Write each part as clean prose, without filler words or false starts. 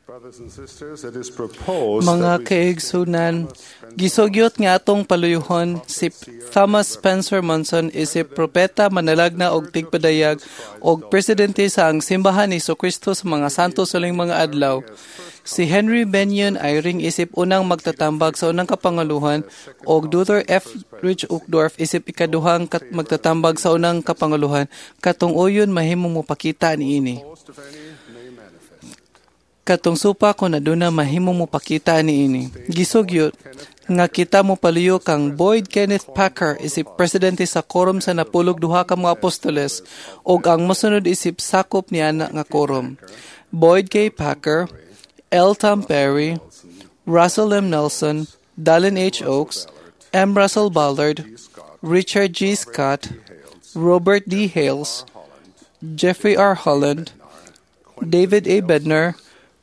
Brothers and sisters, it is proposed Mga that we kaigsunan, gisugyot nga atong paluyuhon si Thomas Spencer Monson isip propeta, manalagna og tigpadayag og presidente sa ang Simbahan ni Kristo sa mga Santo sa Huling mga Adlaw. Si Henry Benyon Eyring isip unang magtatambag sa unang kapanguluhan og Dr. F. Rich Uchtdorf isip ikaduhang magtatambag sa unang kapanguluhan. Katong uyon, mahimong mopakita niini. Opposed, if any, may manifest. Katong supa, kung aduna, mahimong mopakita niini. Gisugyot nga kita mo paluyo kang Boyd Kenneth Packer isip presidente sa Quorum sa Napulog Duha ka mga Apostoles ug ang mosunod isip sakop niya na nga quorum: Boyd K. Packer, L. Tom Perry, Russell M. Nelson, Dallin H. Oaks, M. Russell Ballard, Richard G. Scott, Robert D. Hales, Jeffrey R. Holland, David A. Bednar,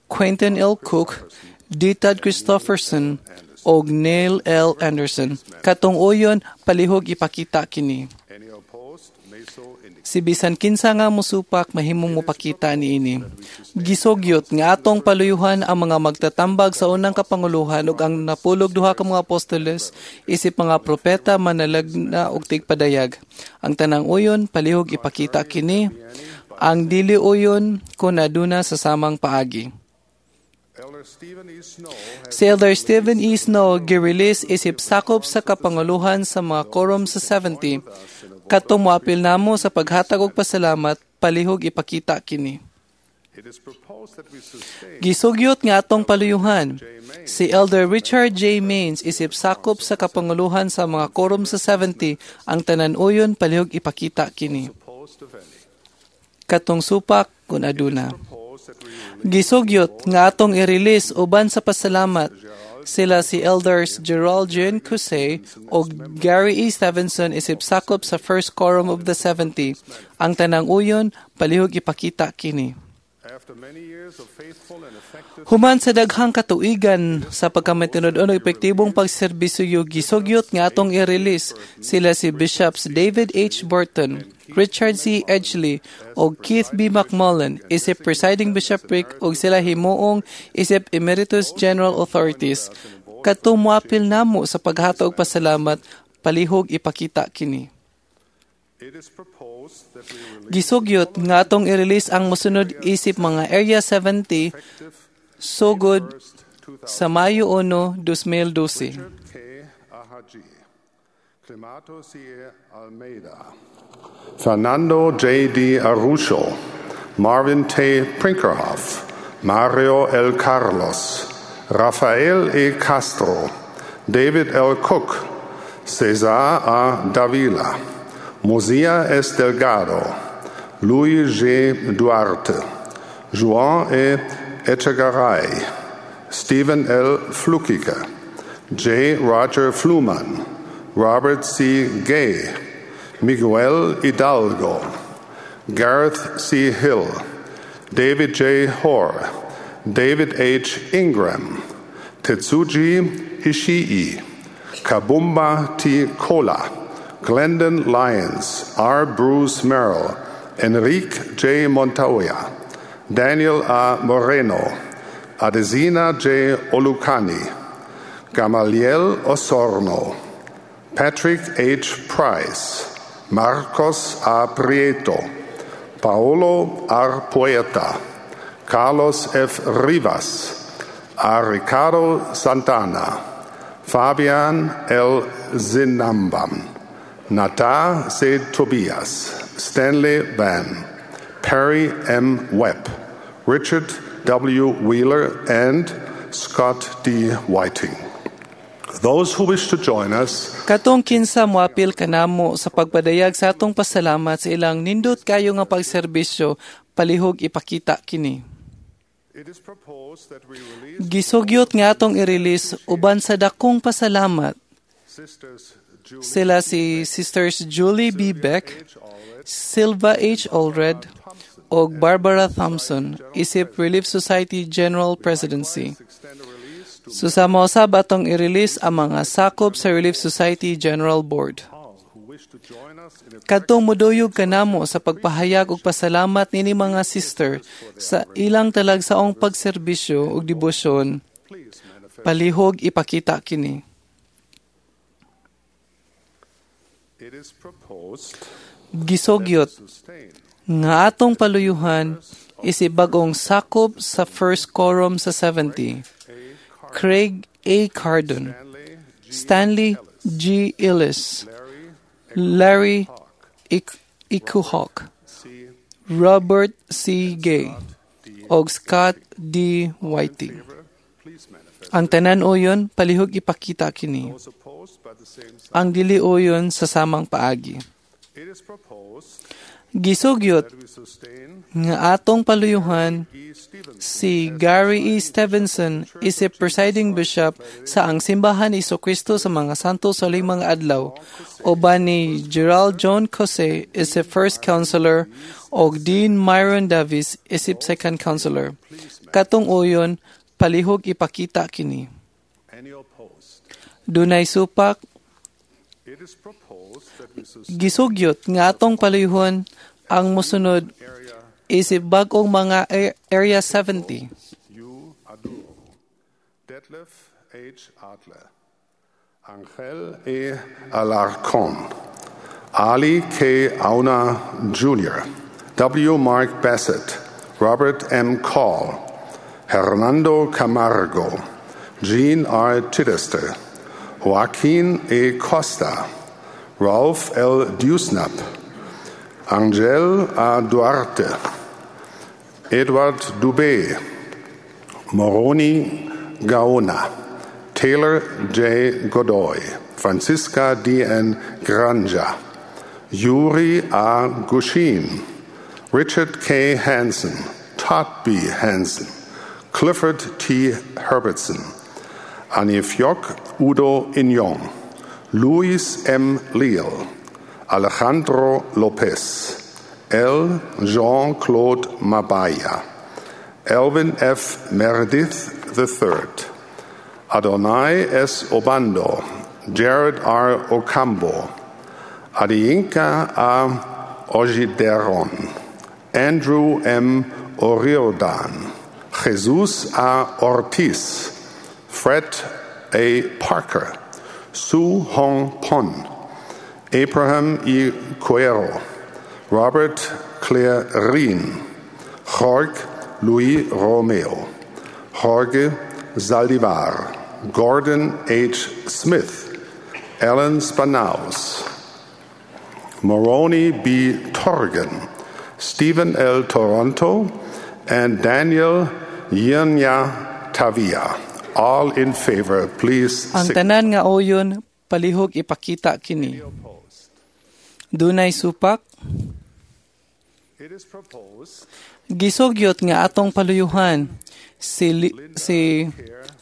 Quentin L. Cook, D. Todd Christofferson, og Neil L. Anderson. Katong uyon, palihog ipakita kini. Any opposed may so indicate. Si bisan kinsa nga musupak, mahimong mopakita niini. Gisugyot nga atong paluyuhan ang mga magtatambag sa unang kapanguluhan ug ang napulog duha ka mga apostoles isip mga propeta, manalagna ug tigpadayag. Ang tanang uyon, palihog ipakita kini. Ang dili uyon, kun aduna, sa samang paagi. Elder Stephen E. Snow has Si Elder Stephen E. Snow gi-release isip sakop sa kapanguluhan sa mga quorum sa 70. Katong moapil namo sa paghatag og pasalamat, palihog ipakita kini. It is proposed that we sustain Gisugyot nga atong paluyuhan si Elder Richard J. Maines isip sakop sa kapanguluhan sa mga quorum sa 70. Ang tanan uyon, palihog ipakita kini. Opposed, if any. Katong supak, kun aduna. Proposed that we release Gisugyot nga atong i-release uban sa pasalamat sila si Elders Gerald Jean Cusay ug Gary E. Stevenson isip sakop sa First Quorum of the 70. Ang tanang uyon, palihog ipakita kini. After many years of faithful and effective Human sa daghang katuigan sa pagkamatinud-on og epektibong pagserbisyo, gisugyot nga atong i-release sila si Bishops David H. Burton, Richard C. Edgley ug Keith B. McMullen isip presiding bishopric ug sila himuong isip Emeritus General Authorities. Katong moapil namo sa paghatag og pasalamat, palihog ipakita kini. It is proposed that we release Gisugyot nga atong i-release ang mosunod isip mga Area 70 effective sugod 1st, 2000. sa Mayo 1, 2012. Richard K. Ahaji, Clemato C. Almeida, Fernando J. D. Arusho, Marvin T. Prinkerhoff, Mario L. Carlos, Rafael E. Castro, David L. Cook, Cesar A. Davila, Mosia S. Delgado, Luis G. Duarte, Juan E. Echegaray, Stephen L. Flukiger, J. Roger Fluman, Robert C. Gay, Miguel Hidalgo, Gareth C. Hill, David J. Hoare, David H. Ingram, Tetsuji Ishii, Kabumba T. Kola, Glendon Lyons, R. Bruce Merrill, Enrique J. Montoya, Daniel A. Moreno, Adesina J. Olukani, Gamaliel Osorno, Patrick H. Price, Marcos A. Prieto, Paolo R. Poeta, Carlos F. Rivas, A. Ricardo Santana, Fabian L. Zinambam, Nata C. Tobias, Stanley Van, Perry M. Webb, Richard W. Wheeler, and Scott D. Whiting. Those who wish to join us Katong kinsa moapil kanamo sa pagpadayag sa atong pasalamat sa ilang nindot kayo nga pagserbisyo, palihog ipakita kini. It is proposed that we release Gisugyot nga atong i-release uban sa dakong pasalamat Sisters Julie sila si Sisters Julie B. Beck, H. Allred, Silva H. Allred, ug Barbara Thompson isip Relief Society General Presidency. Extend a release to Susama usab atong i-release ang mga sakop sa Relief Society General Board. All who wish to join us. Join us in a Kadtong muduyog kanamo sa pagpahayag og pasalamat nini mga sister sa ilang talagsaong pagserbisyo ug debosyon, please manifest. Palihog ipakita kini. It is proposed Gisugyot sustain nga atong paluyuhan isip bag-ong sakop sa First Quorum sa 70. A. Car- Craig A. Cardon, Stanley Stanley G. Ellis, Larry Larry Hawk, Ikuhok, C. Robert C. Gay, D. og Scott D. Whiting. Favor, please manifest. Ang tanan uyon, palihog ipakita kini. Those opposed by the same sign. Ang dili uyon sa samang paagi. It is proposed Gisugyot that we sustain nga atong paluyuhan E. Stevenson si Gary E. Stevenson isip presiding bishop sa ang Simbahan ni Kristo sa mga Santo sa Limang Adlaw, uban ni Gerald John Cose isip first counselor og Dean Myron Davis isip second counselor. Katong uyon, palihog ipakita kini. Any opposed? Dunay supak? It is proposed that we sustain Gisugyot nga atong paluyuhon ang mosunod area isip bag-ong mga Area 70. U. Aduro, Detlef H. Adler, Angel E. Alarcon, Ali K. Auna Jr., W. Mark Bassett, Robert M. Call, Hernando Camargo, Jean R. Chittister, Joaquin A. Costa, Ralph L. Dewsnap, Angel A. Duarte, Edward Dubé, Moroni Gaona, Taylor J. Godoy, Francisca D. N. Granja, Yuri A. Gushin, Richard K. Hansen, Todd B. Hansen, Clifford T. Herbertson, Anifjok Udo Inyong, Luis M. Leal, Alejandro Lopez, L. Jean-Claude Mabaya, Elvin F. Meredith III, Adonai S. Obando, Jared R. Ocambo, Adiyinka A. Ojideron, Andrew M. O'Riordan, Jesus A. Ortiz, Fred A. Parker, Su Hong Pon, Abraham E. Cuero, Robert Clarin, Jorge Luis Romeo, Jorge Zaldivar, Gordon H. Smith, Alan Spanaus, Moroni B. Torgan, Stephen L. Toronto, and Daniel Yenya Tavia. All in favor, please Ang signify. tanan nga uyon, palihog ipakita kini. Opposed. Dunay supak? It is proposed Gisugyot nga atong paluyuhan si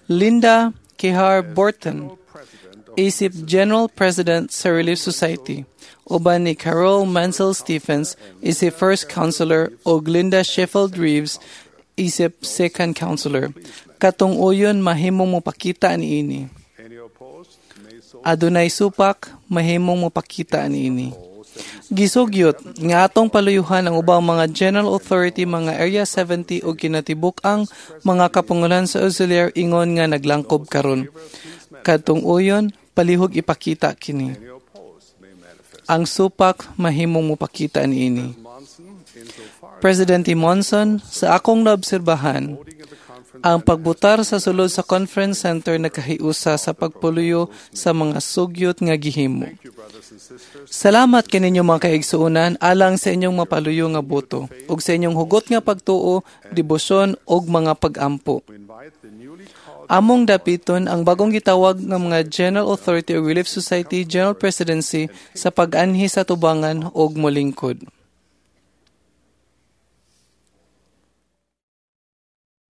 Linda Kehar Borton President of isip General President sa Relief Society, uban ni Carol Mansell Stephens isip First Counselor ug Linda Sheffield Reeves isip Second Counselor. Katong uyon, mahimong mopakita niini. Any opposed may so Adunay supak? Mahimong mopakita niini. Gisugyot nga atong paluyuhan ang ubang mga General Authority, mga Area 70 ug kinatibuk-ang mga kapangulohan sa auxiliary ingon nga naglangkob karon. Kadtong uyon, palihog ipakita kini. Any opposed may manifest. Ang supak, mahimong mopakita niini. Monson, insofar Presidente Monson, sa akong naobserbahan, voting at the conference ang pagbutar sa sulod sa conference center nakahiusa sa pagpuluyo sa mga sugyot nga gihimo. Thank you, brothers and sisters. Salamat kaninyo, mga kaigsuonan, alang sa inyong mapaluyo nga boto ug sa inyong hugot nga pagtuo, debosyon ug mga pagampo. We invite the newly called Among dapiton ang bagong gitawag nga mga General Authority o Relief Society General Presidency sa pag-anhi sa tubangan ug molingkod.